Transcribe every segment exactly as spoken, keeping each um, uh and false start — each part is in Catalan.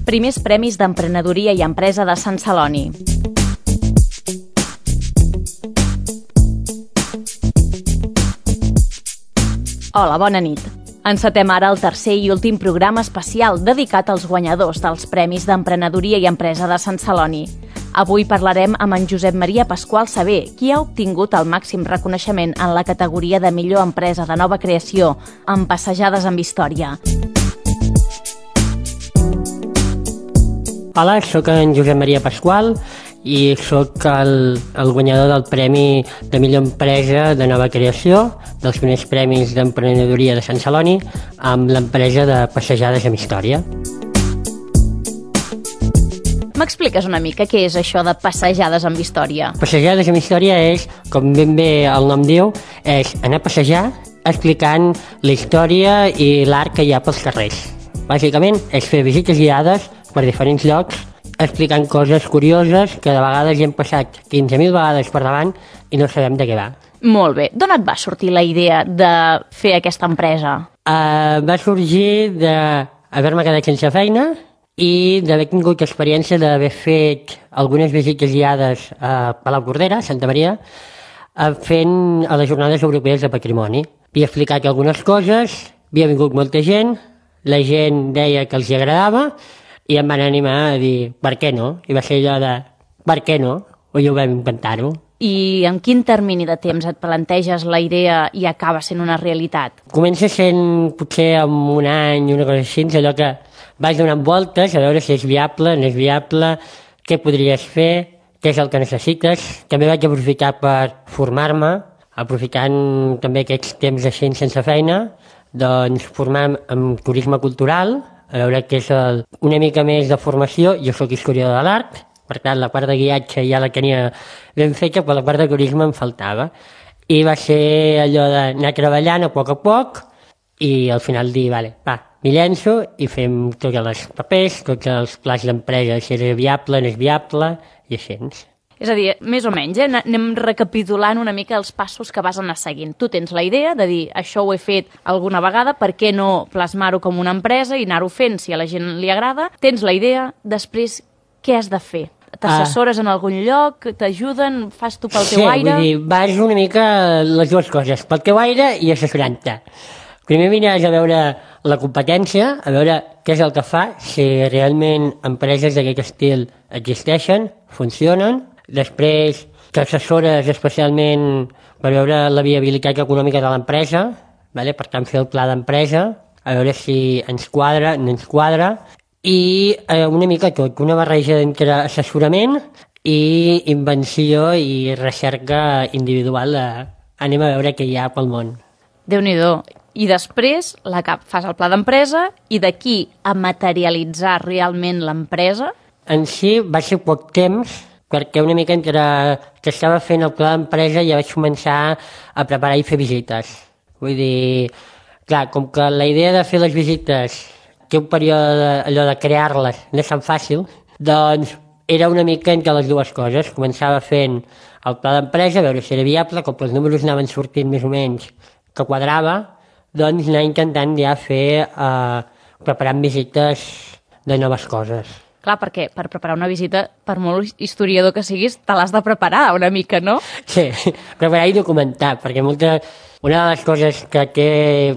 Primers Premis d'Emprenedoria i Empresa de Sant Celoni. Hola, bona nit. Encetem ara el tercer i últim programa especial dedicat als guanyadors dels Premis d'Emprenedoria i Empresa de Sant Celoni. Avui parlarem amb en Josep Maria Pasqual Saber, qui ha obtingut el màxim reconeixement en la categoria de millor empresa de nova creació, amb Passejades amb Història. Hola, sóc en Josep Maria Pasqual i sóc el, el guanyador del Premi de millor empresa de nova creació dels primers Premis d'Emprenedoria de Sant Celoni amb l'empresa de Passejades amb Història. M'expliques una mica què és això de Passejades amb Història? Passejades amb Història és, com ben bé el nom diu, és anar a passejar explicant la història i l'art que hi ha pels carrers. Bàsicament és fer visites guiades per diferents llocs explicant coses curioses que de vegades hi hem passat quinze mil vegades per davant i no sabem de què va. Molt bé. D'on et va sortir la idea de fer aquesta empresa? Uh, va sorgir d'haver-me quedat sense feina i d'haver tingut experiència d'haver fet algunes visites guiades a Palau Cordera, Santa Maria, fent a les Jornades Europees de Patrimoni. Havia explicat algunes coses, havia vingut molta gent, la gent deia que els agradava i em van animar a dir, per què no? I va ser allò de, per què no? O jo vam inventar-ho. I en quin termini de temps et planteges la idea i acaba sent una realitat? Comença sent potser en un any, una cosa així, allò que vas donant voltes a veure si és viable, no és viable, què podries fer, què és el que necessites. També vaig aprofitar per formar-me, aprofitant també aquests temps així sense feina, doncs formar-me en turisme cultural, a veure què és el, una mica més de formació. Jo soc historiador de l'art, per tant la part de guiatge ja la tenia ben feta, però la part de turisme em faltava. I va ser allò d'anar treballant a poc a poc i al final dir, vale, va, m'hi llenço i fem tots els papers, tots els plans d'empresa, si és viable, no és viable, i així. És a dir, més o menys, eh? anem recapitulant una mica els passos que vas anar seguint. Tu tens la idea de dir, això ho he fet alguna vegada, per què no plasmar-ho com una empresa i anar-ho fent si a la gent li agrada? Tens la idea, després, què has de fer? T'assessores ah. en algun lloc? T'ajuden? Fas tu pel sí, teu aire? Sí, vull dir, vas una mica les dues coses, pel teu aire i assessorant-te. Primer vines a veure la competència, a veure què és el que fa, si realment empreses d'aquest estil existeixen, funcionen. Després t'assessores especialment per veure la viabilitat econòmica de l'empresa, vale? Per tant fer el pla d'empresa, a veure si ens quadra, no ens quadra, i eh, una mica tot, una barreja entre assessorament i invenció i recerca individual de anem a veure què hi ha pel món. Déu-n'hi-do. I després la cap fas el pla d'empresa i d'aquí a materialitzar realment l'empresa? En si va ser poc temps, perquè una mica entre que estava fent el pla d'empresa ja vaig començar a preparar i fer visites. Vull dir, clar, com que la idea de fer les visites té un període allò de crear-les no és tan fàcil, doncs era una mica entre les dues coses. Començava fent el pla d'empresa, a veure si era viable, com que els números anaven sortint més o menys que quadrava, doncs anar intentant ja fer, eh, preparant visites de noves coses. Clar, perquè per preparar una visita, per molt historiador que siguis, te l'has de preparar una mica, no? Sí, preparar i documentar, perquè molta, una de les coses que té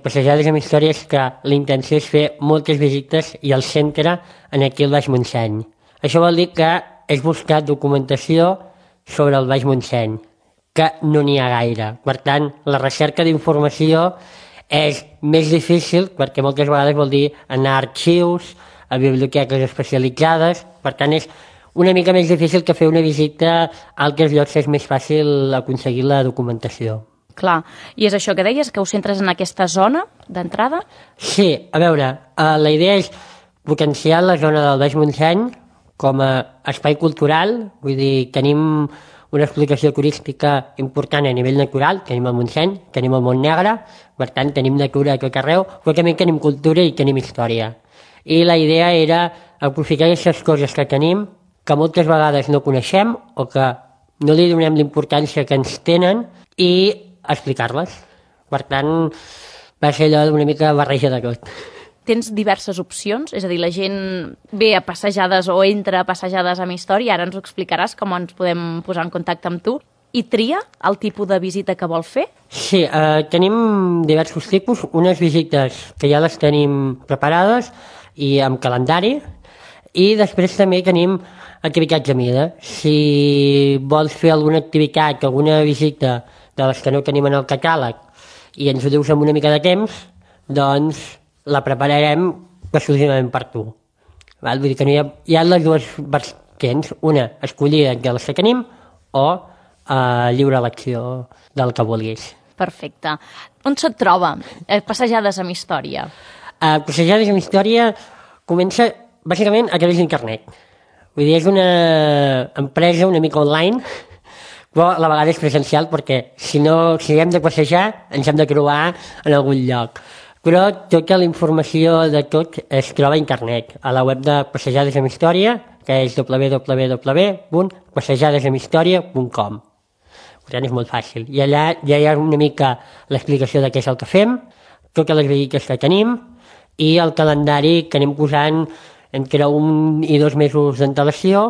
Passejades amb Història és que la intenció és fer moltes visites i el centre en aquí el Baix Montseny. Això vol dir que és buscar documentació sobre el Baix Montseny, que no n'hi ha gaire. Per tant, la recerca d'informació és més difícil perquè moltes vegades vol dir anar a arxius, a biblioteques especialitzades, per tant és una mica més difícil que fer una visita a altres llocs, és més fàcil aconseguir la documentació. Clar, i és això que deies, que us centres en aquesta zona d'entrada? Sí, a veure, eh, la idea és potenciar la zona del Baix Montseny com a espai cultural, vull dir, tenim una explicació turística important a nivell natural, tenim el Montseny, tenim el Montnegre, per tant tenim natura a tot arreu, però també tenim cultura i tenim història. I la idea era aprofitar aquestes coses que tenim, que moltes vegades no coneixem o que no li donem l'importància que ens tenen i explicar-les. Per tant, va ser allò d'una mica barreja de tot. tens diverses opcions, és a dir, la gent ve a passejades o entra a passejades amb història, ara ens ho explicaràs com ens podem posar en contacte amb tu, i tria el tipus de visita que vol fer? Sí, eh, tenim diversos tipus, unes visites que ja les tenim preparades i amb calendari, i després també tenim activitats a mida. Si vols fer alguna activitat, alguna visita de les que no tenim en el catàleg i ens ho dius amb una mica de temps, doncs la prepararem exclusivament per tu. Val? Vull dir que no hi ha, hi ha les dues versions, una escollida de les que tenim o eh, lliure elecció del que vulguis. Perfecte. On se't troba? Eh, passejades amb història. Eh, passejades amb història comença bàsicament a través d'internet. Vull dir, és una empresa una mica online, però a la vegada és presencial perquè si no, si hem de passejar ens hem de trobar en algun lloc. Però tota la informació de tot es troba a internet, a la web de Passejades amb Història, que és w w w punt passejades amb història punt com. Per tant, és molt fàcil. I allà ja hi ha una mica l'explicació de què és el que fem, totes les visites que tenim i el calendari que anem posant entre un i dos mesos d'antelació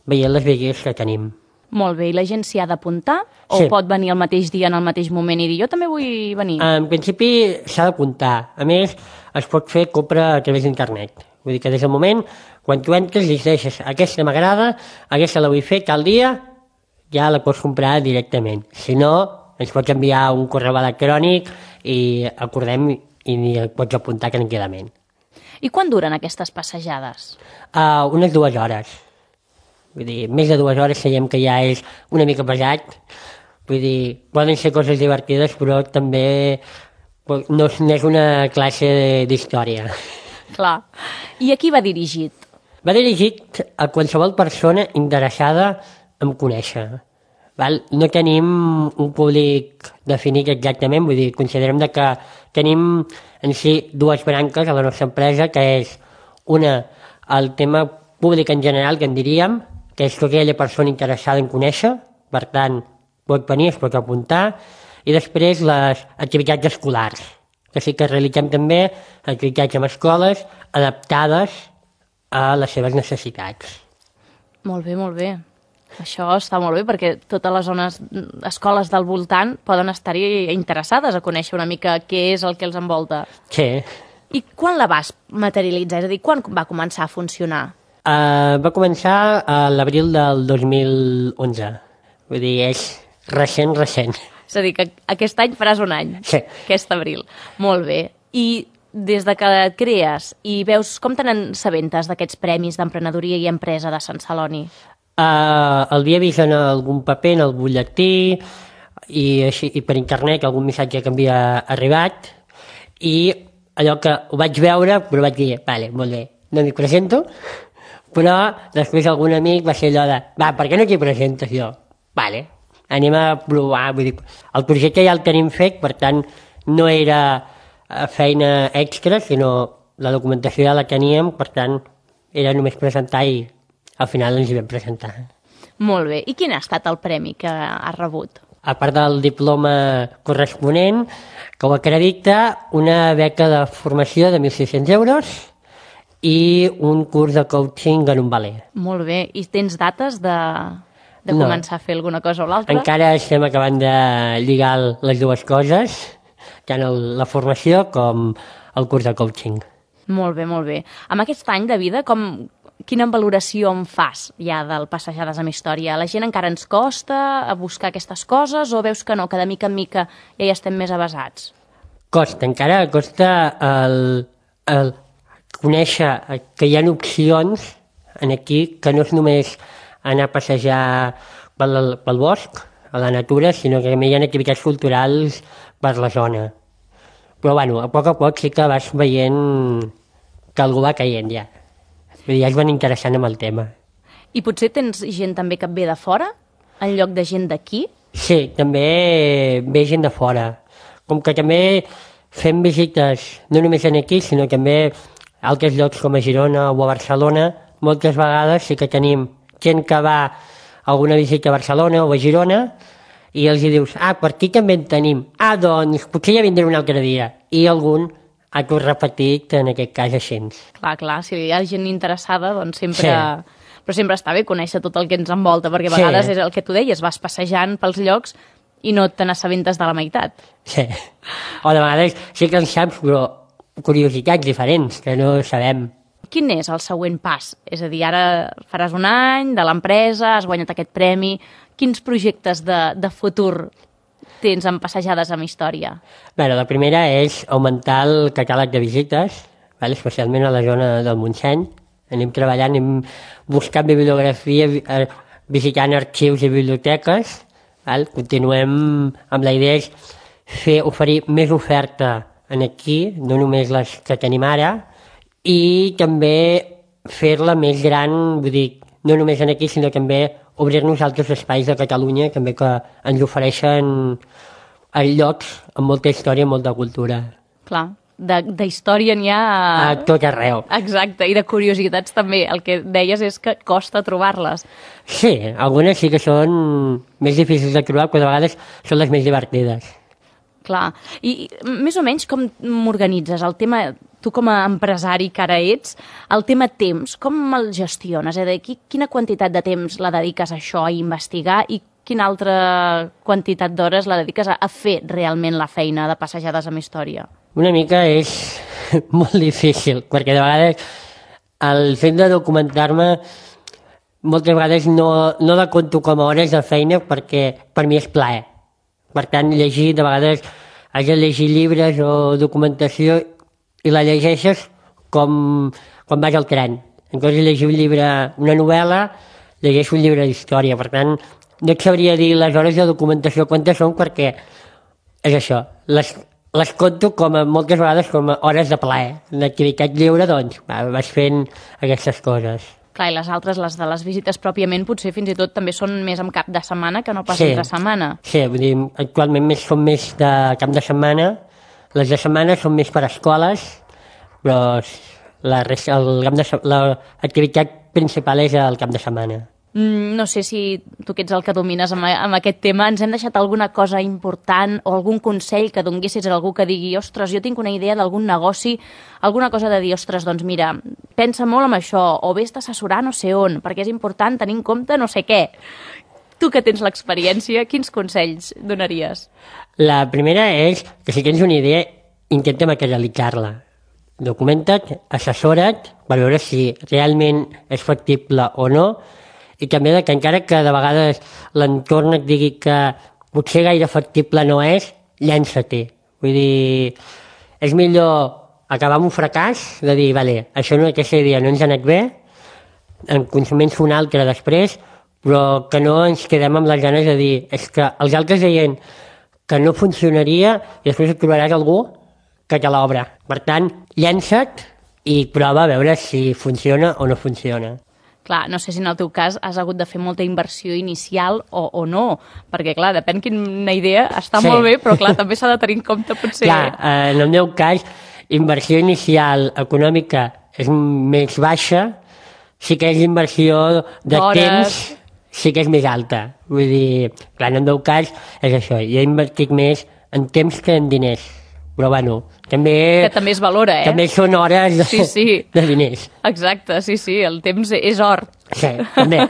veient les visites que tenim. Molt bé, i la gent s'hi ha d'apuntar? O Sí. pot venir al mateix dia, en el mateix moment, i dir jo també vull venir? En principi s'ha d'apuntar. A més, es pot fer compra a través d'internet. Vull dir que des del moment, quan tu entres i deixes aquesta m'agrada, aquesta la vull fer tal dia, ja la pots comprar directament. Si no, ens pots enviar un correu electrònic i acordem i et pots apuntar tranquil·lament. I quan duren aquestes passejades? Uh, unes dues hores. Vull dir, més de dues hores sabem que ja és una mica pesat. Vull dir, poden ser coses divertides, però també no és una classe d'història. Clar. I a qui va dirigit? Va dirigit a qualsevol persona interessada en conèixer. Val? No tenim un públic definit exactament, vull dir, considerem que tenim en si dues branques a la nostra empresa, que és una, el tema públic en general, que en diríem, que és tota aquella persona interessada en conèixer, per tant, pot venir, es pot apuntar, i després les activitats escolars, que sí que realitzem també activitats amb escoles adaptades a les seves necessitats. Molt bé, molt bé. Això està molt bé perquè totes les zones, escoles del voltant poden estar-hi interessades a conèixer una mica què és el que els envolta. Sí. I quan la vas materialitzar? És a dir, quan va començar a funcionar? Uh, va començar a l'abril del dos mil onze. Vull dir, és recent, recent. És a dir, que aquest any faràs un any. Sí. Aquest abril. Molt bé. I des de que et crees i veus com te n'assabentes d'aquests premis d'emprenedoria i empresa de Sant Celoni? Uh, el havia vist en algun paper, en el butlletí, i, així, i per internet algun missatge que havia arribat, i allò que ho vaig veure, però vaig dir, vale, molt bé, no m'hi presento, però després algun amic va ser allò de, va, per què no t'hi presentes jo? Vale, anem a provar, vull dir, el projecte ja el tenim fet, per tant, no era feina extra, sinó la documentació ja la teníem, per tant, era només presentar i al final ens hi vam presentar. Molt bé. I quin ha estat el premi que has rebut? A part del diploma corresponent, que ho acredita una beca de formació de mil sis-cents euros i un curs de coaching en un valer. Molt bé. I tens dates de, de No. començar a fer alguna cosa o l'altra? Encara estem acabant de lligar les dues coses, tant el, la formació com el curs de coaching. Molt bé, molt bé. Amb aquest any de vida, com, quina valoració en fas ja del Passejades amb Història? La gent encara ens costa a buscar aquestes coses o veus que no, que de mica en mica ja hi estem més avasats? Costa, encara costa el, el conèixer que hi ha opcions en aquí que no és només anar a passejar pel, pel bosc, a la natura, sinó que també hi ha activitats culturals per la zona. Però bueno, a poc a poc sí que vas veient que algú va caient ja. Vull dir, ja es van interessant amb el tema. I potser tens gent també que ve de fora, en lloc de gent d'aquí? Sí, també ve gent de fora. Com que també fem visites no només aquí, sinó també a altres llocs com a Girona o a Barcelona, moltes vegades sí que tenim gent que va a alguna visita a Barcelona o a Girona i els hi dius, ah, per aquí també en tenim. Ah, doncs, potser ja vindré un altre dia. I algun acto repetit, en aquest cas així. Clar, clar, si hi ha gent interessada, doncs sempre... Sí. Però sempre està bé conèixer tot el que ens envolta, perquè a vegades sí. És el que tu deies, vas passejant pels llocs i no te n'assabentes de la meitat. Sí. O de vegades sí que en saps, però curiositats diferents que no sabem. Quin és el següent pas? És a dir, ara faràs un any de l'empresa, has guanyat aquest premi. Quins projectes de, de futur tens en Passejades amb Història? Bé, la primera és augmentar el catàleg de visites, val? Especialment a la zona del Montseny. Anem treballant, anem buscant bibliografia, visitant arxius i biblioteques. Val? Continuem amb la idea és fer, oferir més oferta en aquí, no només les que tenim ara, i també fer-la més gran, vull dir, no només en aquí, sinó també obrir-nos altres espais de Catalunya també que ens ofereixen llocs amb molta història i molta cultura. Clar. De, de història n'hi ha... A... a tot arreu. Exacte, i de curiositats també. El que deies és que costa trobar-les. Sí, algunes sí que són més difícils de trobar, però de vegades són les més divertides. Clar. I més o menys com m'organitzes? El tema, tu com a empresari que ara ets, el tema temps, com el gestiones? És a dir, quina quantitat de temps la dediques a això, a investigar, i quina altra quantitat d'hores la dediques a, a fer realment la feina de Passejades amb Història? Una mica és molt difícil, perquè de vegades el fet de documentar-me moltes vegades no, no la conto com a hores de feina perquè per mi és plaer. Per tant, llegir, de vegades has de llegir llibres o documentació i la llegeixes com quan vas al tren. En comptes de llegir un llibre, una novel·la, llegeixo un llibre d'història. Per tant, no et sabria dir les hores de documentació quantes són perquè és això, les les conto com a, moltes vegades com a hores de plaer. D'activitat lliure, doncs, va, vas fent aquestes coses. Clar, i les altres, les de les visites pròpiament, potser fins i tot també són més en cap de setmana que no pas sí. entre setmana. Sí, vull dir, actualment més són més de cap de setmana. Les de setmana són més per a escoles, però la resta, el cap de, l'activitat principal és el cap de setmana. No sé si tu que ets el que domines amb, amb aquest tema, ens hem deixat alguna cosa important o algun consell que donguessis a algú que digui ostres, jo tinc una idea d'algun negoci, alguna cosa de dir, ostres, doncs mira, pensa molt en això, o vés d'assessorar no sé on, perquè és important tenir en compte no sé què. Tu que tens l'experiència, quins consells donaries? La primera és que si tens una idea, intenta materialitzar-la. Documenta't, assessora't per veure si realment és factible o no, i també que encara que de vegades l'entorn et digui que potser gaire factible no és, llença-t'hi. Vull dir, és millor acabar amb un fracàs, de dir, vale, això no, aquesta idea no ens ha anat bé, en consumir-se una altra després, però que no ens quedem amb les ganes de dir, és que els altres deien que no funcionaria i després et trobaràs algú que te l'obre. Per tant, llença't i prova a veure si funciona o no funciona. Clar, no sé si en el teu cas has hagut de fer molta inversió inicial o, o no, perquè clar, depèn quina idea, està sí. molt bé, però clar, també s'ha de tenir en compte potser... Clar, eh, en el meu cas, inversió inicial econòmica és més baixa, sí que és inversió de Hores. temps, sí que és més alta. Vull dir, clar, en el meu cas és això, jo he invertit més en temps que en diners. Però bueno, també... Que també es valora, eh? També són hores de, sí, sí. de diners. Exacte, sí, sí, el temps és or. Sí, també.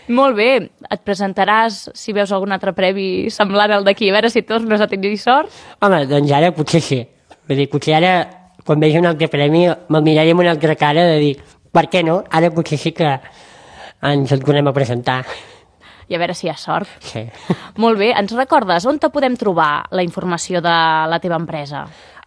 Molt bé, et presentaràs si veus algun altre premi semblant al d'aquí, a veure si tornes a tenir sort? Home, doncs ara potser sí. Vull dir, potser ara, quan vegi un altre premi, me'l miraré amb una altra cara de dir, per què no? Ara potser sí que ens el tornem a presentar. I a veure si hi ha sort. Sí. Molt bé, ens recordes on te podem trobar la informació de la teva empresa?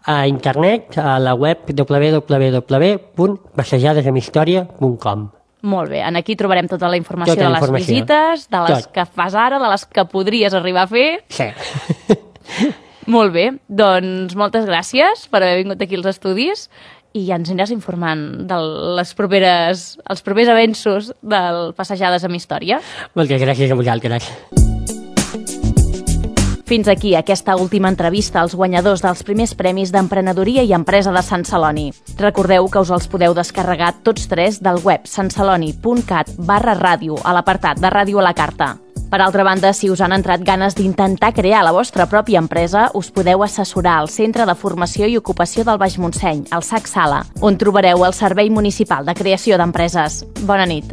A internet, a la web w w w punt passejades amb història punt com. Molt bé, aquí trobarem tota la informació tota la de les informació. visites, de les Tot. que fas ara, de les que podries arribar a fer. Sí. Molt bé, doncs moltes gràcies per haver vingut aquí als estudis i ja ens aniràs informant de les properes, els propers avenços del Passejades amb Història. Moltes gràcies a vosaltres. Fins aquí aquesta última entrevista als guanyadors dels primers premis d'emprenedoria i empresa de Sant Celoni. Recordeu que us els podeu descarregar tots tres del web santceloni punt cat barra ràdio a l'apartat de Ràdio a la Carta. Per altra banda, si us han entrat ganes d'intentar crear la vostra pròpia empresa, us podeu assessorar al Centre de Formació i Ocupació del Baix Montseny, el S A C Sala, on trobareu el Servei Municipal de Creació d'Empreses. Bona nit.